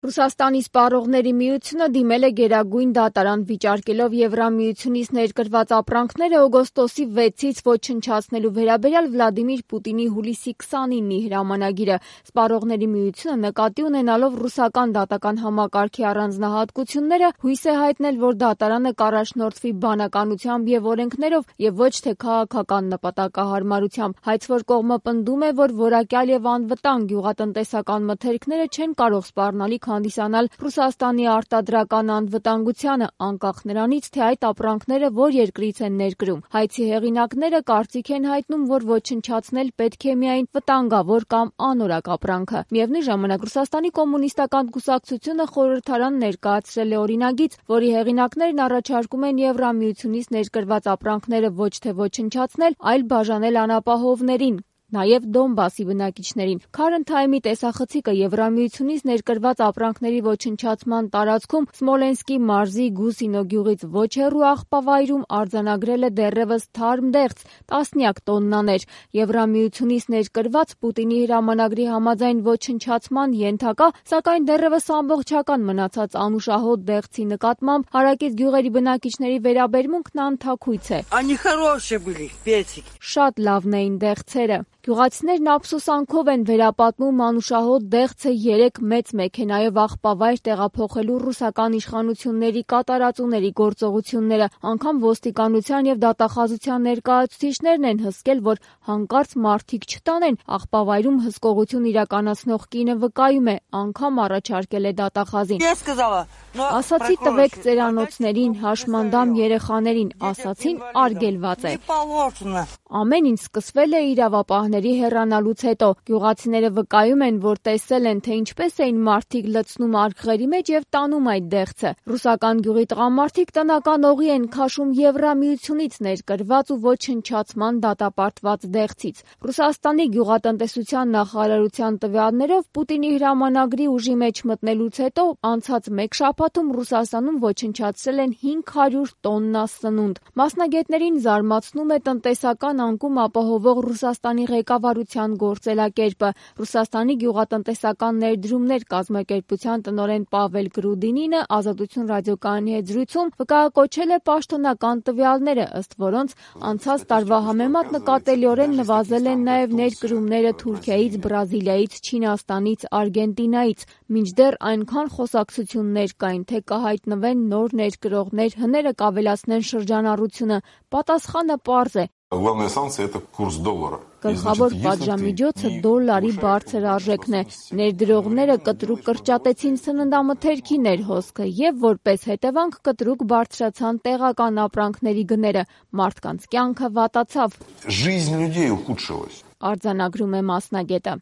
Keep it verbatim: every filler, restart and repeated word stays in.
Ռուսաստանի սպառողների միությունը դիմել է Գերագույն դատարան, վիճարկելով Եվրամիությունից ներկրված ապրանքները օգոստոսի վեցից ոչնչացնելու վերաբերյալ Վլադիմիր Պուտինի հուլիսի քսանինի հրամանագիրը։ Սպառողների միությունը նկատի ունենալով ռուսական դատական համակարգի առանձնահատկությունները հույս է հայտնել, որ դատարանը կառաջնորդվի բանականությամբ և օրենքներով և ոչ թե քաղաքական նպատակահարմարությամբ։ Հայցվոր կողմը պնդում է, որ որակյալ և անվտանգ գյուղատնտեսական մթերքները չեն կարող սպառնալիք հանդիսանալ Ռուսաստանի արտադրական անվտանգությանը, անկախ նրանից, թե այդ ապրանքները որ երկրից են ներկրում։ Հայցի հեղինակները կարծիք են հայտնում, որ ոչնչացնել պետք է միայն վտանգավոր կամ անորակ ապրանքը։ Միևնույն ժամանակ Ռուսաստանի կոմունիստական կուսակցությունը խորհրդարան ներկայացրել է օրինագիծ, որի հեղինակներն առաջարկում են Եվրամիությունից ներկրված ապրանքները ոչ թե ոչնչացնել, այլ բաժանել անապահովներին, նաև Դոնբասի բնակիչներին։ Current Time-ի տեսախցիկը Եվրամիությունից ներկրված ապրանքների ոչնչացման տարածքում Սմոլենսկի մարզի Գուսինո գյուղից ոչ հեռու աղբավայրում արձանագրել է դեռևս թարմ դեղց՝ տասնյակ տոննաներ։ Եվրամիությունից ներկրված Պուտինի հրամանագրի համաձայն ոչնչացման ենթակա, սակայն դեռևս ամբողջական մնացած անուշահոտ դեղցի նկատմամբ հարակից գյուղերի բնակիչների վերաբերմունքն անթաքույց է։ Շատ լավն էին դեղցերը։ Գյուղացիներն ափսոսանքով են վերապատմում անուշահոտ դեղցը երեք մեծ մեքենայով աղբավայր տեղափոխելու ռուսական իշխանությունների կատարածուների գործողությունները։ Անգամ ոստիկանության և դատախազության ներկայացուցիչներն են հսկել, որ հանկարծ մարդիկ չտանեն։ Աղբավայրում հսկողություն իրականացնող կինը վկայում է, անգամ առաջարկել է դատախազին։ Ասացի տվեք ծերանոցներին, հաշմանդամ երեխաներին, ասացին արգելված է։ Ամեն ինչ սկսվել է իրավապահների հեռանալուց հետո։ Գյուղացիները վկայում են, որ տեսել են, թե ինչպես էին մարդիկ լցնում արգղերի մեջ և տանում այդ դեղցը։ Ռուսական գյուղի տղամարդիկ տնական օղի են քաշում Եվրամիությունից ներկրված ու ոչնչացման դատապարտված դեղցից։ Ռուսաստանի գյուղատնտեսության նախարարության տվյալներով Պուտինի հրամանագրի ուժի մեջ մտնելուց հետո անցած մեկ շաբաթում Ռուսաստանում ոչնչացրել են հինգ հարյուր տոննա սնունդ։ Մասնագետներին զարմացնում է տնտեսական անկում ապահովող Ռուսաստանի ղեկավարության գործելակերպը։ Ռուսաստանի գյուղատնտեսական ներդրումներ կազմակերպության տնօրեն Պավել Գրուդինինը Ազատություն ռադիոկայանի հետ զրույցում վկայակոչել է պաշտոնական տվյալները, ըստ որոնց անցած տարվա համեմատ նկատելիորեն նվազել են նաև ներկրումները Թուրքիայից, Բրազիլիայից, Չինաստանից, Արգենտինայից, մինչդեռ այնքան խոսակցություններ կային, թե կհայտնվեն նոր ներկրողներ, հները կավելացնեն շրջանառությունը։ Պատասխանը պարզ է։ Գլխավոր պատժամիջոցը դոլարի բարձր արժեքն է։ Ներդրողները կտրուկ կրճատեցին սննդամթերքի ներհոսքը և որպես հետևանք կտրուկ բարձրացան տեղական ապրանքների գները։ Մարդկանց կյանքը վատացավ, արձանագրում է մասնագետը։